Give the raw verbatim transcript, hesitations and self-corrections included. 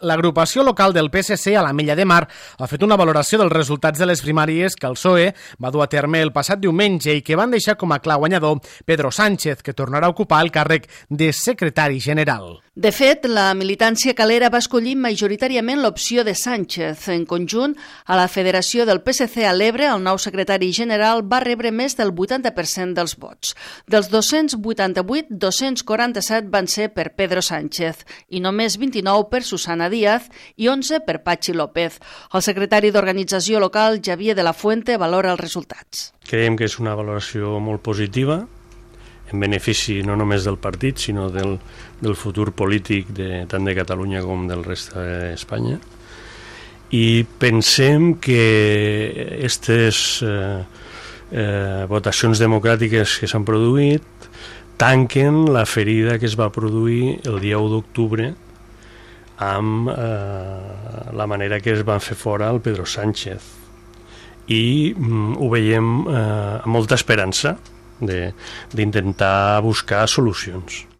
L'agrupació local del P S C a l'Ametlla de Mar ha fet una valoració dels resultats de les primàries que el P S O E va dur a terme el passat diumenge i que van deixar com a clar guanyador Pedro Sánchez, que tornarà a ocupar el càrrec de secretari general. De fet, la militància calera va escollir majoritàriament l'opció de Sánchez. En conjunt, a la Federació del P S C a l'Ebre, el nou secretari general va rebre més del vuitanta per cent dels vots. Dels dos-cents vuitanta-vuit, dos-cents quaranta-set van ser per Pedro Sánchez i només vint-i-nou per Susana Díaz i onze per Patxi López. El secretari d'Organització local, Xavier de la Fuente, valora els resultats. Creiem que és una valoració molt positiva, en benefici no només del partit, sinó del, del futur polític de, tant de Catalunya com del reste d'Espanya. I pensem que aquestes eh, eh, votacions democràtiques que s'han produït tanquen la ferida que es va produir el dia u d'octubre amb eh, la manera que es van fer fora el Pedro Sánchez. I mm, ho veiem eh, amb molta esperança d'intentar buscar solucions.